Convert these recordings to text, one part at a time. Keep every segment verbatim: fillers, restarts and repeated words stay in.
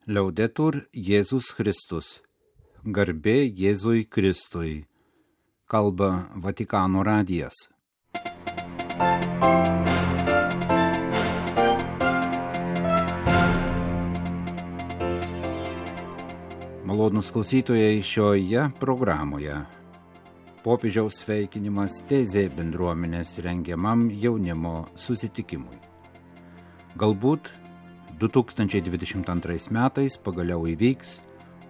Liaudetur Jėzus Kristus. Garbė Jėzui Kristui. Kalba Vatikano radijas. Malonūs klausytojai, šioje programoje popiežiaus sveikinimas Tezė bendruomenės rengiamam jaunimo susitikimui. Galbūt du tūkstančiai dvidešimt antrais metais pagaliau įvyks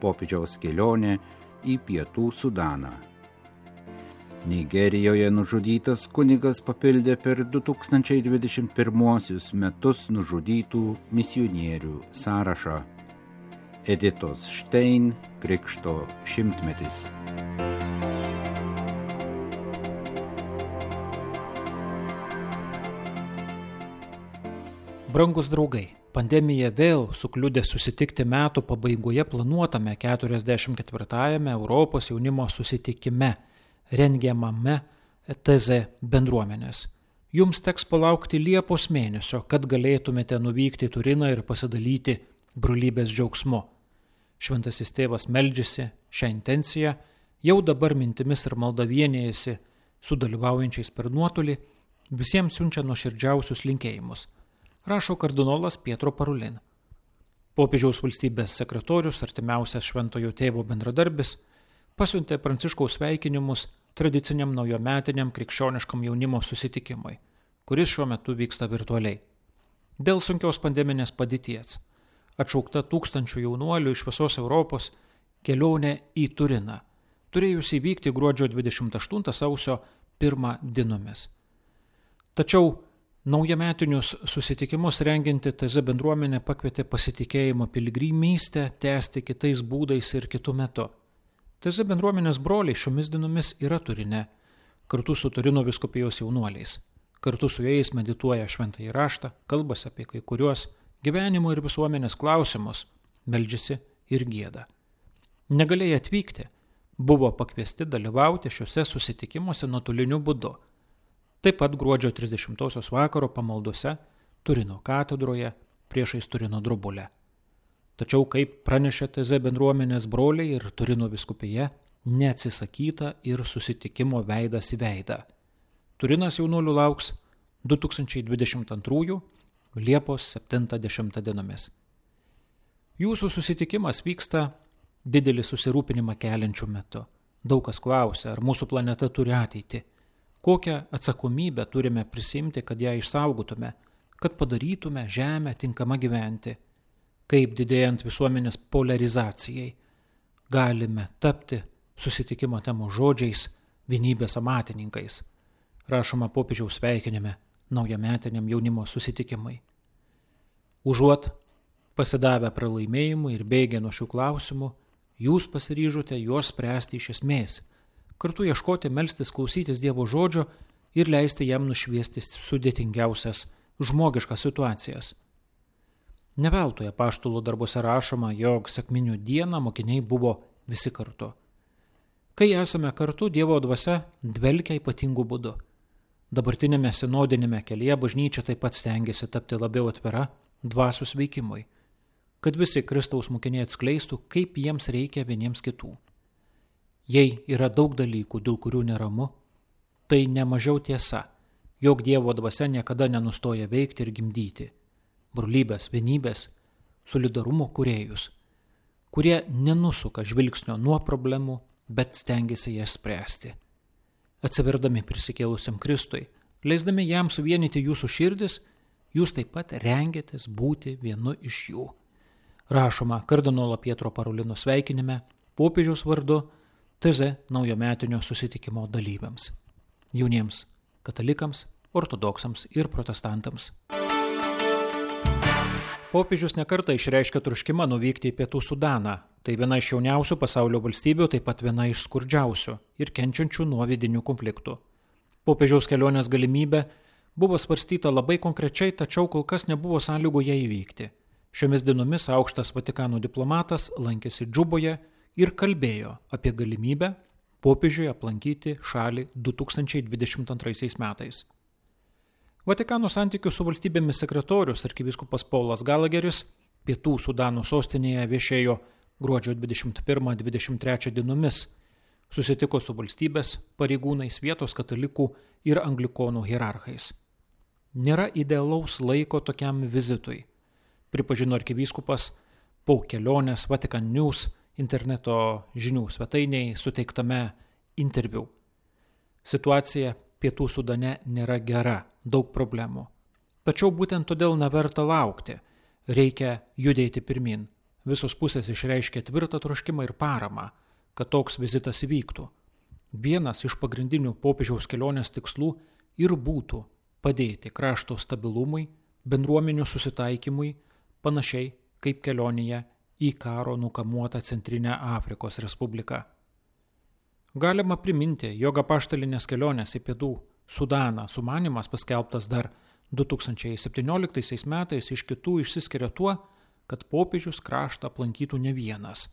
popiežiaus kelionė į Pietų Sudaną. Nigerijoje nužudytas kunigas papildė per du tūkstančiai dvidešimt pirmuosius metus nužudytų misionierių sąrašą. Editos Štein krikšto šimtmetis. Brangus draugai, pandemija vėl sukliudė susitikti metų pabaigoje planuotame keturiasdešimt ketvirtajame Europos jaunimo susitikime, rengiamame Tezė bendruomenės. Jums teks palaukti Liepos mėnesio, kad galėtumėte nuvykti į Turiną ir pasidalyti brolybės džiaugsmu. Šventasis tėvas meldžiasi šią intenciją, jau dabar mintimis ir malda vienijasi su dalyvaujančiais per nuotolį, visiems siunčia nuoširdžiausius linkėjimus, rašo kardinolas Pietro Parulin. Popiežiaus valstybės sekretorius, artimiausias šventojo tėvo bendradarbis, pasiuntė Pranciškaus sveikinimus tradiciniam naujometiniam krikščioniškam jaunimo susitikimui, kuris šiuo metu vyksta virtualiai. Dėl sunkios pandeminės padėties atšaukta tūkstančių jaunuolių iš visos Europos kelionė į Turiną, turėjusi įvykti gruodžio dvidešimt aštuntą sausio pirmą dienomis. Tačiau naujametinius susitikimus rengianti Tezė bendruomenė pakvietė pasitikėjimo piligrimystę tęsti kitais būdais ir kitu metu. Tezė bendruomenės broliai šiomis dienomis yra Turine, kartu su Turino vyskupijos jaunuoliais. Kartu su jais medituoja šventąjį raštą, kalbasi apie kai kuriuos gyvenimo ir visuomenės klausimus, meldžiasi ir gieda. Negalėję atvykti, buvo pakviesti dalyvauti šiuose susitikimuose nuotoliniu būdu. Taip pat gruodžio trisdešimtosios vakaro pamaldose Turino katedroje priešais Turino drobulę. Tačiau, kaip pranešė Tezė bendruomenės broliai ir Turino vyskupija, neatsisakyta ir susitikimo veidas į veidą. Turinas jaunuolių lauks du tūkstančiai dvidešimt antrųjų Liepos septintą dešimtą dienomis. Jūsų susitikimas vyksta didelį susirūpinimą keliančių metu. Daug kas klausia, ar mūsų planeta turi ateitį. Kokią atsakomybę turime prisimti, kad ją išsaugotume, kad padarytume Žemę tinkamą gyventi. Kaip didėjant visuomenės polarizacijai galime tapti susitikimo temos žodžiais vienybės amatininkais. Rašoma popiežiaus sveikinime naujametiniam jaunimo susitikimai. Užuot pasidavę pralaimėjimui ir bėgę nuo šių klausimų, jūs pasiryžote juos spręsti iš esmės, kartu ieškoti, melstis, klausytis Dievo žodžio ir leisti jam nušviesti sudėtingiausias žmogiškas situacijas. Ne veltui apaštalų darbuose rašoma, jog sekminių dieną mokiniai buvo visi kartu. Kai esame kartu, Dievo dvasia dvelkia ypatingu būdu. Dabartinėme sinodinėme kelyje bažnyčia taip pat stengiasi tapti labiau atvira dvasios veikimui, kad visi Kristaus mokiniai atskleistų, kaip jiems reikia vieniems kitų. Jei yra daug dalykų, dėl kurių neramu, tai nemažiau tiesa, jog Dievo dvasia niekada nenustoja veikti ir gimdyti brolybės, vienybės, solidarumo kūrėjus, kurie nenusuka žvilgsnio nuo problemų, bet stengiasi jas spręsti. Atsiverdami prisikėlusiam Kristui, leisdami jam suvienyti jūsų širdis, jūs taip pat rengiatės būti vienu iš jų. Rašoma kardinolo Pietro Parulino sveikinime popiežiaus vardu Tezė naujametinio susitikimo dalyviams, jauniems katalikams, ortodoksams ir protestantams. Popiežius nekartą išreiškė troškimą nuvykti į Pietų Sudaną. Tai viena iš jauniausių pasaulio valstybių, taip pat viena iš skurdžiausių ir kenčiančių nuo vidinių konfliktų. Popiežiaus kelionės galimybė buvo svarstyta labai konkrečiai, tačiau kol kas nebuvo sąlygų ją įvykti. Šiomis dienomis aukštas Vatikano diplomatas lankėsi Džuboje ir kalbėjo apie galimybę popiežiui aplankyti šalį du tūkstančiai dvidešimt antraisiais metais. Vatikano santykių su valstybėmis sekretorius arkivyskupas Paulas Galageris Pietų Sudano sostinėje viešėjo gruodžio dvidešimt pirmą dvidešimt trečią dienomis. Susitiko su valstybės pareigūnais, vietos katalikų ir anglikonų hierarchais. Nėra idealaus laiko tokiam vizitui, pripažino arkivyskupas po kelionės Vatican News interneto žinių svetainiai suteiktame interviu. Situacija Pietų Sudane nėra gera, daug problemų. Tačiau būtent todėl neverta laukti, reikia judėti pirmin. Visos pusės išreiškė tvirtą troškimą ir paramą, kad toks vizitas įvyktų. Vienas iš pagrindinių popiežiaus kelionės tikslų ir būtų padėti krašto stabilumui, bendruomenių susitaikymui, panašiai kaip kelionėje į karo nukamuotą Centrinę Afrikos Respubliką. Galima priminti, jog apaštalinės kelionės į Pietų Sudaną sumanymas paskelbtas dar du tūkstančiai septynioliktaisiais metais iš kitų išsiskiria tuo, kad popiežius kraštą aplankytų ne vienas,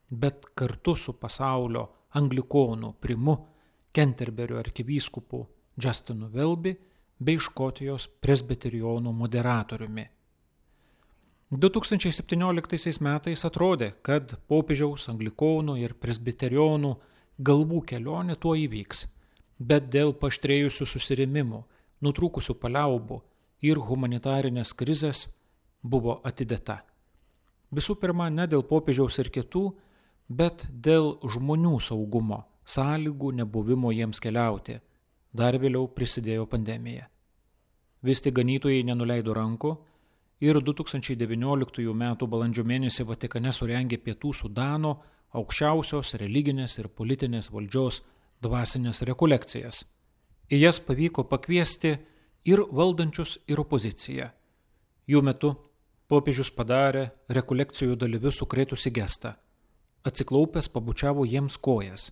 bet kartu su pasaulio anglikonų primu Kenterberio arkivyskupu Justinu Welby bei Škotijos presbiterionų moderatoriumi. du tūkstančiai septynioliktaisiais metais atrodė, kad popiežiaus anglikonų ir presbiterionų galvų kelionė tuo įvyks, bet dėl paaštrėjusių susirėmimų, nutrūkusių paliaubų ir humanitarinės krizės buvo atidėta. Visų pirma, ne dėl popiežiaus ir kitų, bet dėl žmonių saugumo, sąlygų nebuvimo jiems keliauti. Dar vėliau prisidėjo pandemija. Vis tik ganytojai nenuleido rankų ir du tūkstančiai devynioliktųjų metų balandžio mėnesį Vatikane surengė Pietų Sudano aukščiausios religinės ir politinės valdžios dvasinės rekolekcijas. Į jas pavyko pakviesti ir valdančius, ir opoziciją. Jų metu popiežius padarė rekolekcijų dalyvius sukrėtusi gestą. Atsiklaupęs pabučiavo jiems kojas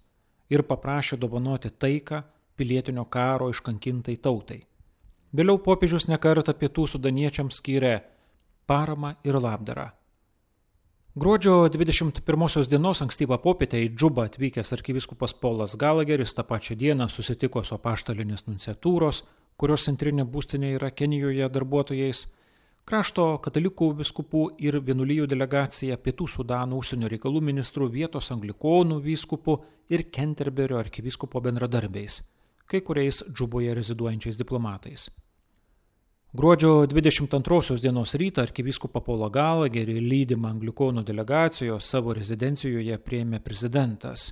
ir paprašė dovanoti taiką pilietinio karo iškankintai tautai. Vėliau popiežius nekartą Pietų sudaniečiams skyrė paramą ir labdarą. Gruodžio dvidešimt pirmosios dienos ankstyvą popietę į Džubą atvykęs arkivyskupas Paulas Galageris tą pačią dieną susitiko su apaštalinės nunciatūros, kurios centrinė būstinė yra Kenijoje darbuotojais, krašto katalikų vyskupų ir vienuolijų delegacija, Pietų Sudano užsienio reikalų ministrų, vietos anglikonų vyskupų ir Kenterberio arkivyskupo bendradarbiais, kai kuriais Džuboje reziduojančiais diplomatais. Gruodžio dvidešimt antrosios dienos rytą arkivyskupą Paulą Galagerį lydimą anglikonų delegacijos savo rezidencijoje priėmė prezidentas.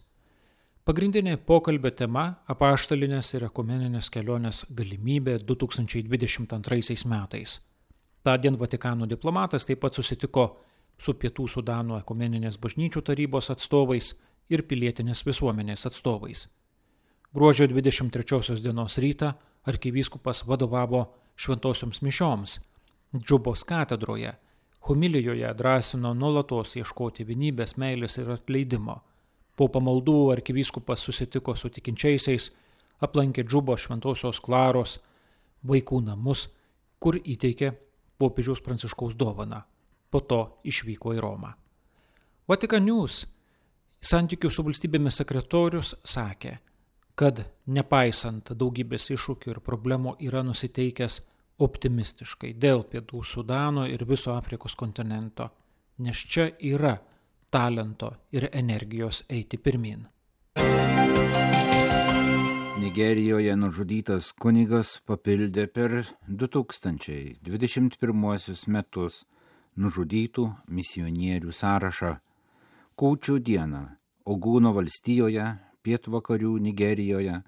Pagrindinė pokalbio tema – apaštalinės ir ekumeninės kelionės galimybė du tūkstančiai dvidešimt antraisiais metais. Tądien Vatikano diplomatas taip pat susitiko su Pietų Sudano ekumeninės bažnyčių tarybos atstovais ir pilietinės visuomenės atstovais. Gruodžio dvidešimt trečiosios dienos rytą arkivyskupas vadovavo šventosioms mišioms Džubos katedroje, homilijoje drąsino nuolatos ieškoti vienybės, meilės ir atleidimo. Po pamaldų arkivyskupas susitiko su tikinčiaisiais, aplankė Džubo šventosios Klaros vaikų namus, kur įteikė popiežiaus Pranciškaus dovaną. Po to išvyko į Romą. Vatican News santykių su valstybėmis sekretorius sakė, kad nepaisant daugybės iššūkių ir problemų yra nusiteikęs optimistiškai dėl Pietų Sudano ir viso Afrikos kontinento, nes čia yra talento ir energijos eiti pirmin. Nigerijoje nužudytas kunigas papildė per du tūkstančiai dvidešimt pirmuosius metus nužudytų misionierių sąrašą. Kūčių dieną Ogūno valstijoje, pietvakarių Nigerijoje,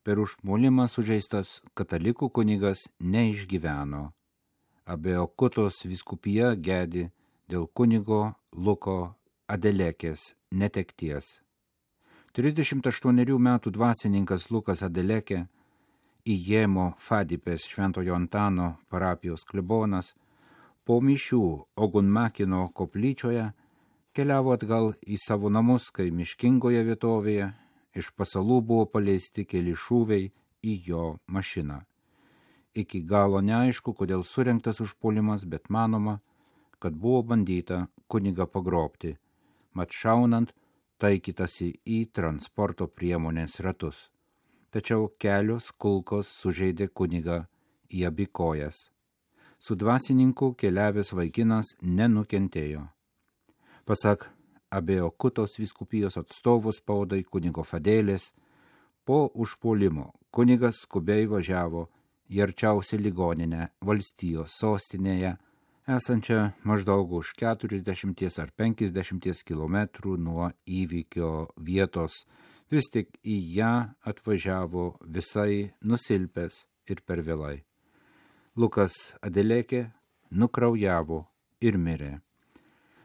per užpuolimą sužeistas katalikų kunigas neišgyveno. Abeokutos vyskupija gedi dėl kunigo Luko Adelekės netekties. trisdešimt aštuonerių metų dvasininkas Lukas Adelekė, Ijemo Fadipės Šventojo Antano parapijos klebonas, po mišių Ogunmakino koplyčioje keliavo atgal į savo namus, kai miškingoje vietovėje iš pasalų buvo paleisti keli šūviai į jo mašiną. Iki galo neaišku, kodėl surengtas užpuolimas, bet manoma, kad buvo bandyta kunigą pagrobti, mat šaunant taikytasi į transporto priemonės ratus. Tačiau kelios kulkos sužeidė kunigą į abi kojas. Su dvasininku keliavęs vaikinas nenukentėjo. Pasak Abeokutos vyskupijos atstovų spaudai kunigo Fadėlės, po užpuolimo kunigas skubiai važiavo į arčiausią ligoninę valstijos sostinėje, esančią maždaug už keturiasdešimt ar penkiasdešimt kilometrų nuo įvykio vietos. Vis tik į ją atvažiavo visai nusilpęs ir per vėlai. Lukas Adelekė nukraujavo ir mirė.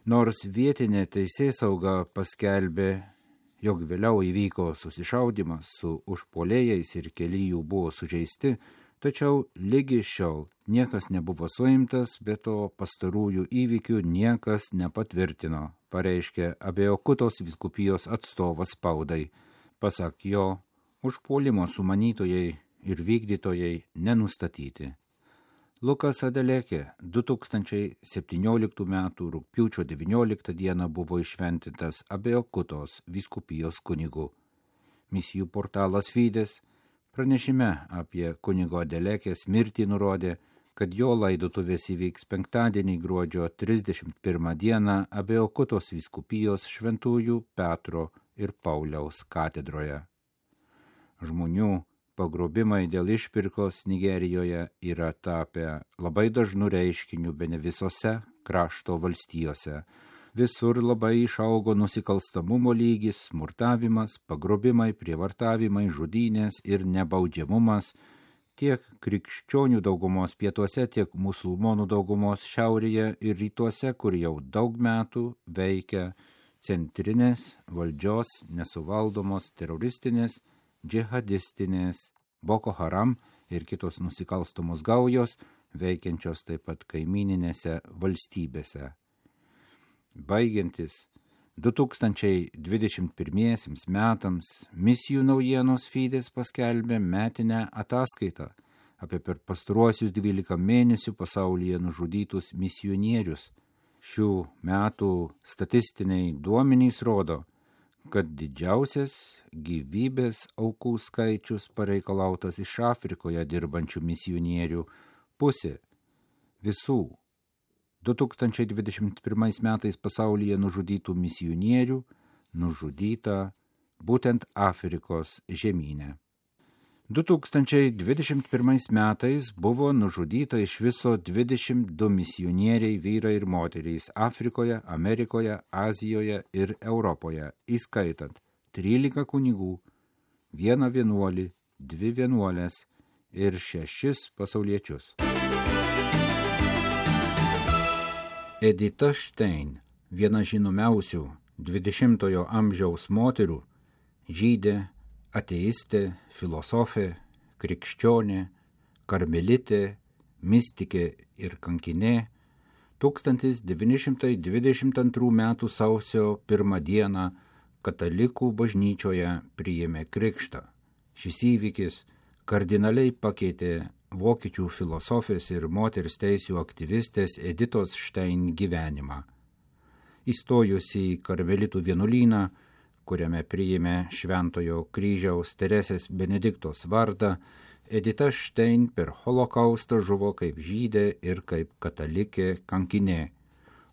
Nors vietinė teisėsauga paskelbė, jog vėliau įvyko susišaudimas su užpuolėjais ir keli jų buvo sužeisti, tačiau lygi šiol niekas nebuvo suimtas, bet to pastarųjų įvykių niekas nepatvirtino, pareiškė Abeokutos vyskupijos atstovas spaudai. Pasak jo, užpuolimo sumanytojai ir vykdytojai nenustatyti. Lukas Adelekė du tūkstančiai septynioliktų metų rugpjūčio devynioliktą dieną buvo išventintas Abeokutos vyskupijos kunigu. Misijų portalas Fides pranešime apie kunigo Adelekės mirtį nurodė, kad jo laidotuvės įvyks penktadienį gruodžio trisdešimt pirmą dieną Abeokutos vyskupijos Šventųjų Petro ir Pauliaus katedroje. Žmonių pagrobimai dėl išpirkos Nigerijoje yra tapę labai dažnų reiškinių bene visose krašto valstijose. Visur labai išaugo nusikalstamumo lygis, smurtavimas, pagrobimai, prievartavimai, žudynės ir nebaudžiamumas tiek krikščionių daugumos pietuose, tiek musulmonų daugumos šiaurėje ir rytuose, kur jau daug metų veikia centrinės valdžios nesuvaldomos teroristinės, džihadistinės, Boko Haram ir kitos nusikalstamos gaujos, veikiančios taip pat kaimininėse valstybėse. Baigiantis du tūkstančiai dvidešimt pirmiesiems metams misijų naujienos Fides paskelbė metinę ataskaitą apie per pastaruosius dvylika mėnesių pasaulyje nužudytus misionierius. Šių metų statistiniai duomenys rodo, kad didžiausias gyvybės aukų skaičius pareikalautas iš Afrikoje dirbančių misionierių pusė visų du tūkstančiai dvidešimt pirmais metais pasaulyje nužudytų misionierių nužudyta būtent Afrikos žemyne. du tūkstančiai dvidešimt pirmais metais buvo nužudyta iš viso dvidešimt du misionieriai vyrai ir moterys Afrikoje, Amerikoje, Azijoje ir Europoje, įskaitant trylika kunigų, vieną vienuolį, dvi vienuolės ir šešis pasauliečius. Edita Stein, viena žinomiausių dvidešimtojo amžiaus moterų, žydė, ateistė, filosofė, krikščionė, karmelitė, mistikė ir kankinė, tūkstantis devyni šimtai dvidešimt antrų metų sausio pirmą dieną katalikų bažnyčioje priėmė krikštą. Šis įvykis kardinaliai pakeitė vokiečių filosofės ir moters teisių aktyvistės Editos Stein gyvenimą. Įstojusi į karmelitų vienuolyną, kuriame priėmė Šventojo kryžiaus Teresės Benediktos vardą, Edita Stein per holokaustą žuvo kaip žydė ir kaip katalikė kankinė.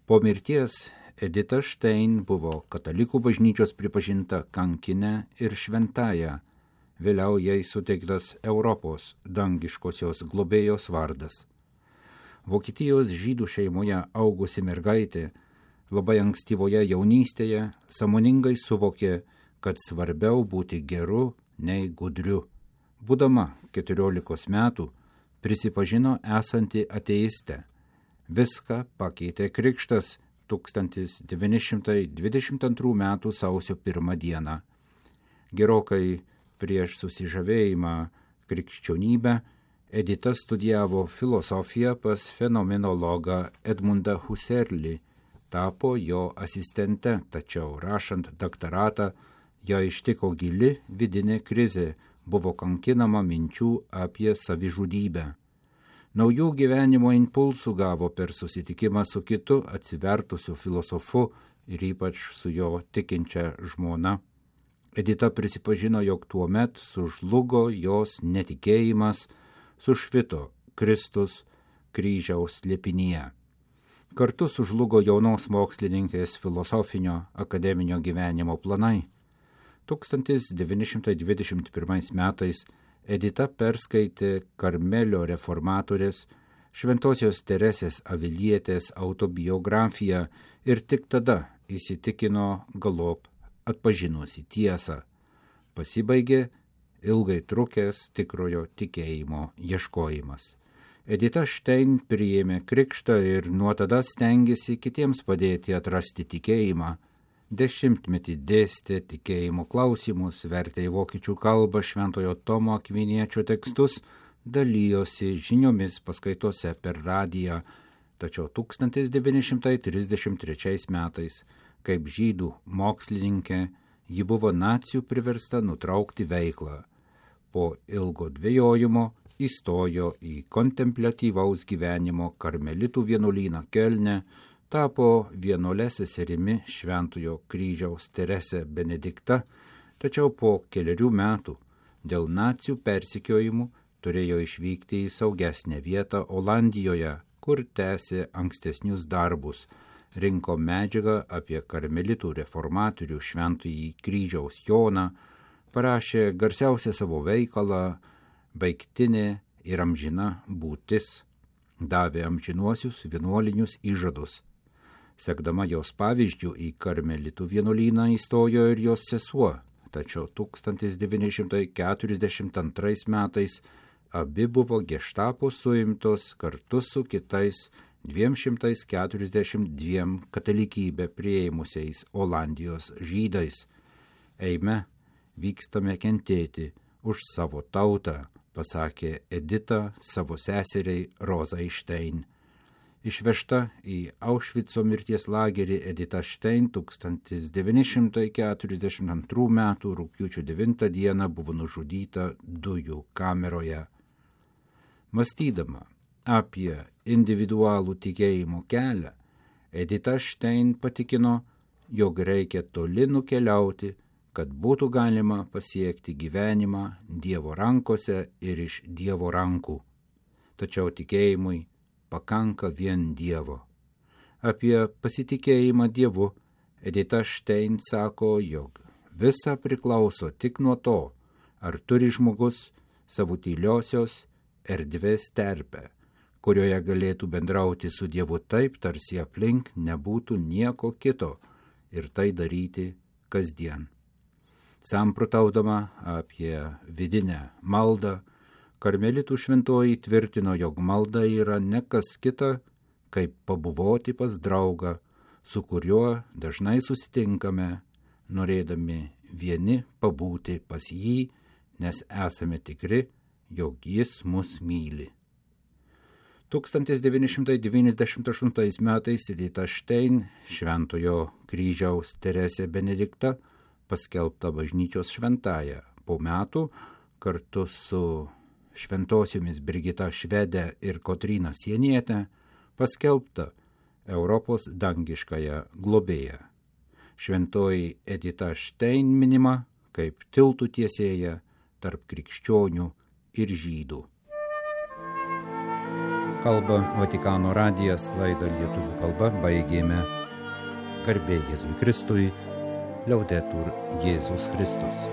Po mirties Edita Stein buvo katalikų bažnyčios pripažinta kankine ir šventąja, vėliau jai suteiktas Europos dangiškosios globėjos vardas. Vokietijos žydų šeimoje augusi mergaitė labai ankstyvoje jaunystėje sąmoningai suvokė, kad svarbiau būti geru nei gudriu. Būdama keturiolikos metų prisipažino esanti ateiste. Viską pakeitė krikštas tūkstantis devyni šimtai dvidešimt antrų metų sausio pirmą dieną. Gerokai prieš susižavėjimą krikščionybę Edita studijavo filosofiją pas fenomenologą Edmundą Husserlį, tapo jo asistente, tačiau rašant daktaratą ją ištiko gili vidinė krizė, buvo kankinama minčių apie savižudybę. Naujų gyvenimo impulsų gavo per susitikimą su kitu atsivertusiu filosofu ir ypač su jo tikinčia žmona. Edita prisipažino, jog tuomet sužlugo jos netikėjimas, sušvito Kristus, kryžiaus slėpinyje. Kartu sužlugo jaunos mokslininkės filosofinio akademinio gyvenimo planai. tūkstantis devyni šimtai dvidešimt pirmais metais Edita perskaitė Karmelio reformatorės Šventosios Teresės Avilietės autobiografiją ir tik tada įsitikino galop atpažinusi tiesą. Pasibaigė ilgai trukęs tikrojo tikėjimo ieškojimas. Edita Štein priėmė krikštą ir nuo tada stengėsi kitiems padėti atrasti tikėjimą. Dešimtmetį dėstė tikėjimo klausimus, vertė į vokiečių kalbą Šventojo Tomo Akviniečio tekstus, dalyjosi žiniomis paskaitose per radiją, tačiau tūkstantis devyni šimtai trisdešimt trečiais metais, kaip žydų mokslininkė, ji buvo nacių priversta nutraukti veiklą. Po ilgo dvejojimo įstojo į kontempliatyvaus gyvenimo karmelitų vienuolyną Kelne, tapo vienuole seserimi Šventojo kryžiaus Teresė Benedikta, tačiau po keliarių metų dėl nacių persekiojimų turėjo išvykti į saugesnę vietą Olandijoje, kur tęsė ankstesnius darbus, rinko medžiagą apie karmelitų reformatorių Šventąjį kryžiaus Joną, parašė garsiausią savo veikalą Baigtinė ir amžina būtis, davė amžinuosius vienuolinius įžadus. Sekdama jos pavyzdžių į karmelitų vienuolyną įstojo ir jos sesuo, tačiau tūkstantis devyni šimtai keturiasdešimt antrais metais abi buvo geštapo suimtos kartu su kitais dviem šimtais keturiasdešimt dviem katalikybę priėmusiais Olandijos žydais. Eime, vykstame kentėti už savo tautą, pasakė Edita savo seseriai Rozai Štein. Išvežta į Aušvico mirties lagerį Edita Štein tūkstantis devyni šimtai keturiasdešimt antrų metų rugpjūčio devintą dieną buvo nužudyta dujų kameroje. Mąstydama apie individualų tikėjimo kelią, Edita Štein patikino, jog reikia toli nukeliauti, kad būtų galima pasiekti gyvenimą Dievo rankose ir iš Dievo rankų. Tačiau tikėjimui pakanka vien Dievo. Apie pasitikėjimą Dievu Edita Štein sako, jog visa priklauso tik nuo to, ar turi žmogus savo tyliosios erdvės terpę, kurioje galėtų bendrauti su Dievu taip, tarsi aplink nebūtų nieko kito ir tai daryti kasdien. Samprotaudama apie vidinę maldą, karmelitų šventoji tvirtino, jog malda yra ne kas kita, kaip pabuvoti pas draugą, su kuriuo dažnai susitinkame, norėdami vieni pabūti pas jį, nes esame tikri, jog jis mus myli. tūkstantis devyni šimtai devyniasdešimt aštuntais metais Edita Štein, Šventojo kryžiaus Teresė Benedikta, paskelbta bažnyčios šventąja. Po metų kartu su šventosiomis Brigita Švedė ir Kotryna Sienietė paskelbta Europos dangiškąją globėją. Šventoji Edita Štein minima kaip tiltų tiesėja tarp krikščionių ir žydų. Kalba Vatikano radijas, laidą lietuvių kalba baigėme. Garbė Jėzui Kristui, Liaudetur Jėzus Kristus.